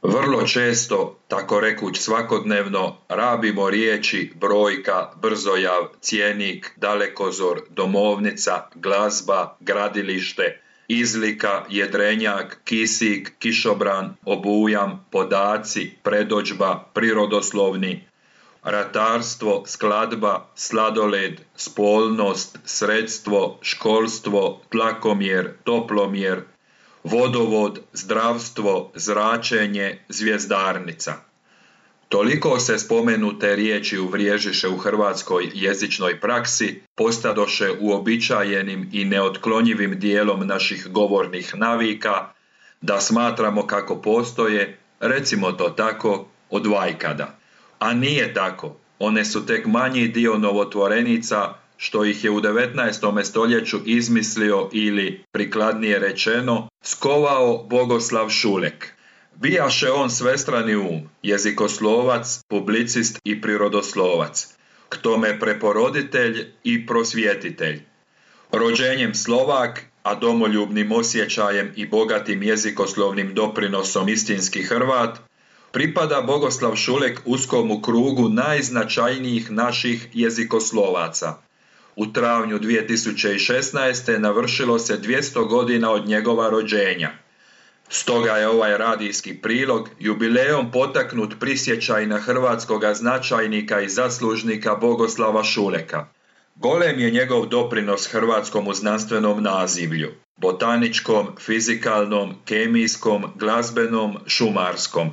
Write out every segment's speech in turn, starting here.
Vrlo često, tako rekuć svakodnevno, rabimo riječi brojka, brzojav, cjenik, dalekozor, domovnica, glazba, gradilište, izlika, jedrenjak, kisik, kišobran, obujam, podaci, predodžba, prirodoslovni, ratarstvo, skladba, sladoled, spolnost, sredstvo, školstvo, tlakomjer, toplomjer, vodovod, zdravstvo, zračenje, zvjezdarnica. Toliko se spomenute riječi uvriježiše u hrvatskoj jezičnoj praksi, postadoše uobičajenim i neotklonjivim dijelom naših govornih navika, da smatramo kako postoje, recimo to tako, od vajkada. A nije tako, one su tek manji dio novotvorenica što ih je u 19. stoljeću izmislio ili, prikladnije rečeno, skovao Bogoslav Šulek. Bijaše on svestrani jezikoslovac, publicist i prirodoslovac, k tome preporoditelj i prosvjetitelj. Rođenjem Slovak, a domoljubnim osjećajem i bogatim jezikoslovnim doprinosom istinski Hrvat, pripada Bogoslav Šulek uskomu krugu najznačajnijih naših jezikoslovaca. U travnju 2016. navršilo se 200 godina od njegova rođenja. Stoga je ovaj radijski prilog jubilejom potaknut prisjećaj na hrvatskoga značajnika i zaslužnika Bogoslava Šuleka. Golem je njegov doprinos hrvatskom znanstvenom nazivlju, botaničkom, fizikalnom, kemijskom, glazbenom, šumarskom.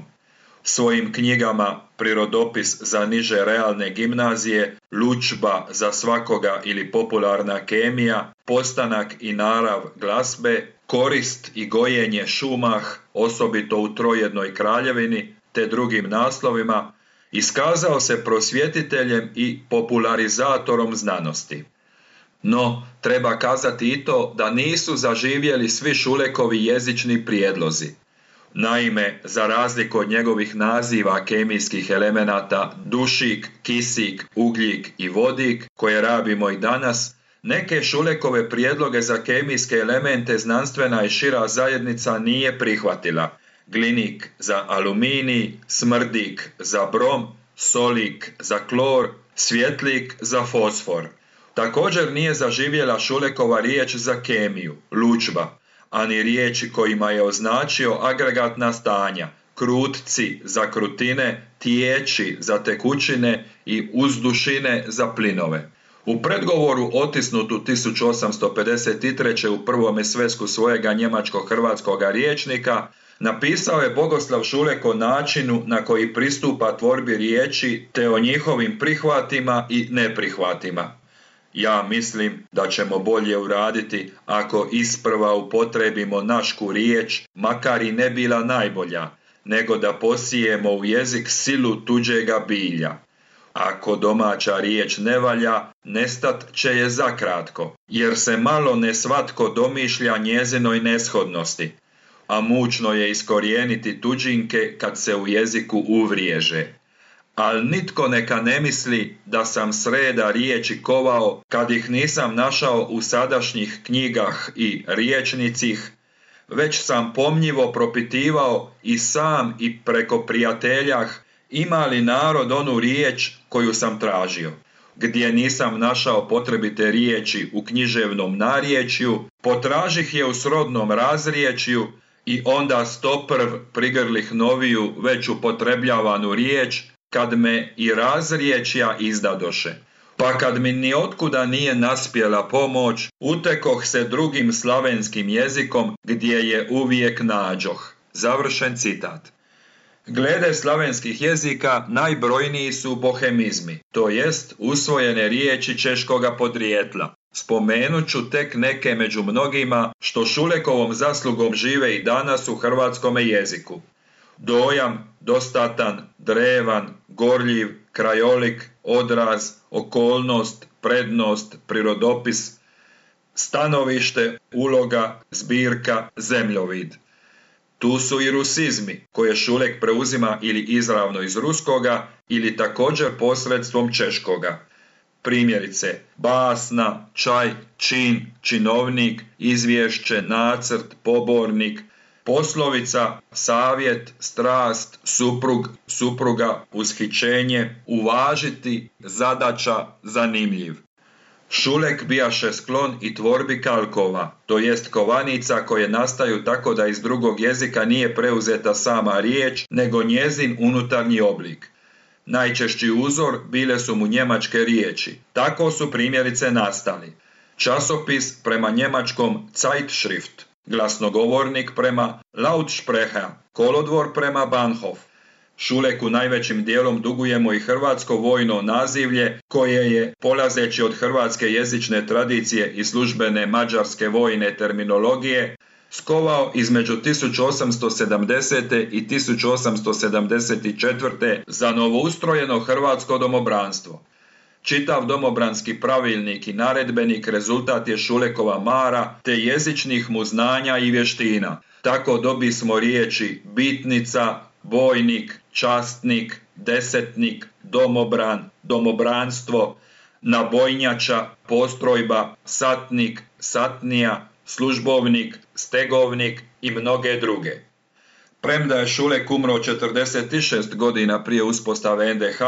Svojim knjigama Prirodopis za niže realne gimnazije, Lučba za svakoga ili popularna kemija, Postanak i narav glazbe, Korist i gojenje šumah, osobito u Trojednoj kraljevini, te drugim naslovima, iskazao se prosvjetiteljem i popularizatorom znanosti. No, treba kazati i to da nisu zaživjeli svi Šulekovi jezični prijedlozi. Naime, za razliku od njegovih naziva kemijskih elemenata dušik, kisik, ugljik i vodik, koje rabimo i danas, neke Šulekove prijedloge za kemijske elemente znanstvena i šira zajednica nije prihvatila. Glinik za aluminij, smrdik za brom, solik za klor, svjetlik za fosfor. Također nije zaživjela Šulekova riječ za kemiju, lučba, ani riječi kojima je označio agregatna stanja, krutci za krutine, tiječi za tekućine i uzdušine za plinove. U predgovoru otisnutu 1853. u prvome svesku svojega njemačko-hrvatskoga rječnika napisao je Bogoslav Šulek o načinu na koji pristupa tvorbi riječi te o njihovim prihvatima i neprihvatima. Ja mislim da ćemo bolje uraditi ako isprva upotrebimo našku riječ, makar i ne bila najbolja, nego da posijemo u jezik silu tuđega bilja. Ako domaća riječ ne valja, nestat će je zakratko, jer se malo ne svatko domišlja njezinoj neshodnosti, a mučno je iskorijeniti tuđinke kad se u jeziku uvriježe. Al nitko neka ne misli da sam sreda riječi kovao kad ih nisam našao u sadašnjih knjigah i riječnicih, već sam pomnjivo propitivao i sam i preko prijateljah ima li narod onu riječ koju sam tražio. Gdje nisam našao potrebite riječi u književnom narječju, potražih je u srodnom razriječju i onda stoprv prigrlih noviju već upotrebljavanu riječ, kad me i razriječja izdadoše. Pa kad mi ni otkuda nije naspjela pomoć, utekoh se drugim slavenskim jezikom gdje je uvijek nađoh. Završen citat. Glede slavenskih jezika najbrojniji su bohemizmi, to jest usvojene riječi češkoga podrijetla. Spomenut ću tek neke među mnogima što Šulekovom zaslugom žive i danas u hrvatskome jeziku. Dojam, dostatan, drevan, gorljiv, krajolik, odraz, okolnost, prednost, prirodopis, stanovište, uloga, zbirka, zemljovid. Tu su i rusizmi, koje Šulek preuzima ili izravno iz ruskoga ili također posredstvom češkoga. Primjerice, basna, čaj, čin, činovnik, izvješće, nacrt, pobornik, Poslovica, savjet, strast, suprug, supruga, ushićenje, uvažiti, zadaća, zanimljiv. Šulek bijaše sklon i tvorbi kalkova, to jest kovanica koje nastaju tako da iz drugog jezika nije preuzeta sama riječ, nego njezin unutarnji oblik. Najčešći uzor bile su mu njemačke riječi. Tako su primjerice nastali. Časopis prema njemačkom Zeitschrift, glasnogovornik prema Lautsprecher, kolodvor prema Bahnhof. Šuleku najvećim dijelom dugujemo i hrvatsko vojno nazivlje koje je, polazeći od hrvatske jezične tradicije i službene mađarske vojne terminologije, skovao između 1870. i 1874. za novoustrojeno hrvatsko domobranstvo. Čitav domobranski pravilnik i naredbenik rezultat je Šulekova mara te jezičnih mu znanja i vještina. Tako dobismo riječi bitnica, bojnik, častnik, desetnik, domobran, domobranstvo, nabojnjača, postrojba, satnik, satnija, službovnik, stegovnik i mnoge druge. Premda je Šulek umro 46 godina prije uspostave NDH,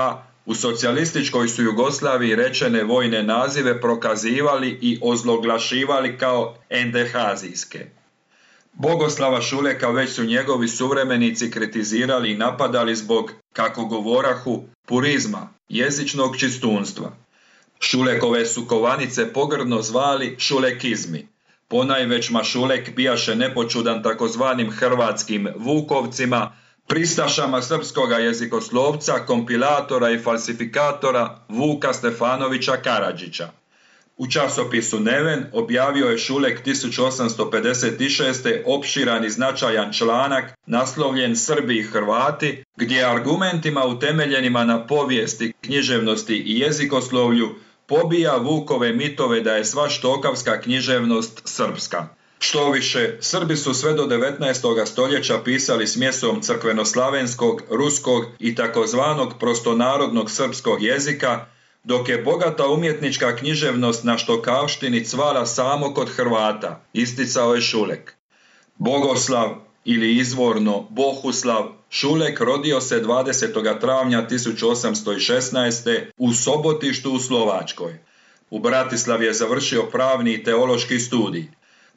u socijalističkoj su Jugoslaviji rečene vojne nazive prokazivali i ozloglašivali kao NDH-zijske. Bogoslava Šuleka već su njegovi suvremenici kritizirali i napadali zbog, kako govorahu, purizma, jezičnog čistunstva. Šulekove su kovanice pogrdno zvali šulekizmi. Ponajvećma Šulek bijaše nepočudan takozvanim hrvatskim vukovcima, pristašama srpskoga jezikoslovca, kompilatora i falsifikatora Vuka Stefanovića Karadžića. U časopisu Neven objavio je Šulek 1856. opširan i značajan članak naslovljen Srbi i Hrvati, gdje argumentima utemeljenima na povijesti, književnosti i jezikoslovlju pobija Vukove mitove da je sva štokavska književnost srpska. Štoviše, Srbi su sve do 19. stoljeća pisali smjesom crkvenoslavenskog, ruskog i takozvanog prostonarodnog srpskog jezika, dok je bogata umjetnička književnost na štokavštini cvala samo kod Hrvata, isticao je Šulek. Bogoslav ili izvorno Bohuslav Šulek rodio se 20. travnja 1816. u Sobotištu u Slovačkoj. U Bratislavi je završio pravni i teološki studij.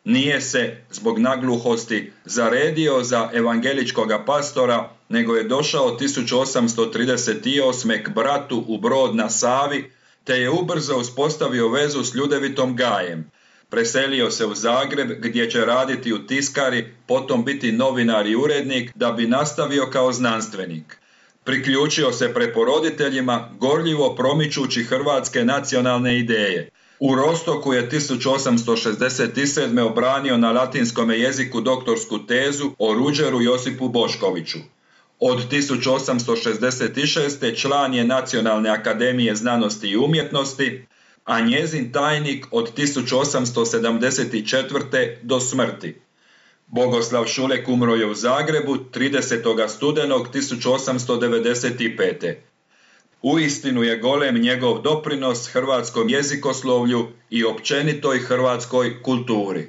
Nije se, zbog nagluhosti, zaredio za evangeličkoga pastora, nego je došao 1838. k bratu u Brod na Savi, te je ubrzo uspostavio vezu s Ljudevitom Gajem. Preselio se u Zagreb, gdje će raditi u tiskari, potom biti novinar i urednik, da bi nastavio kao znanstvenik. Priključio se preporoditeljima, gorljivo promičući hrvatske nacionalne ideje. U Rostoku je 1867. obranio na latinskom jeziku doktorsku tezu o Ruđeru Josipu Boškoviću. Od 1866. član je Nacionalne akademije znanosti i umjetnosti, a njezin tajnik od 1874. do smrti. Bogoslav Šulek umro je u Zagrebu 30. studenog 1895. Uistinu je golem njegov doprinos hrvatskom jezikoslovlju i općenitoj hrvatskoj kulturi.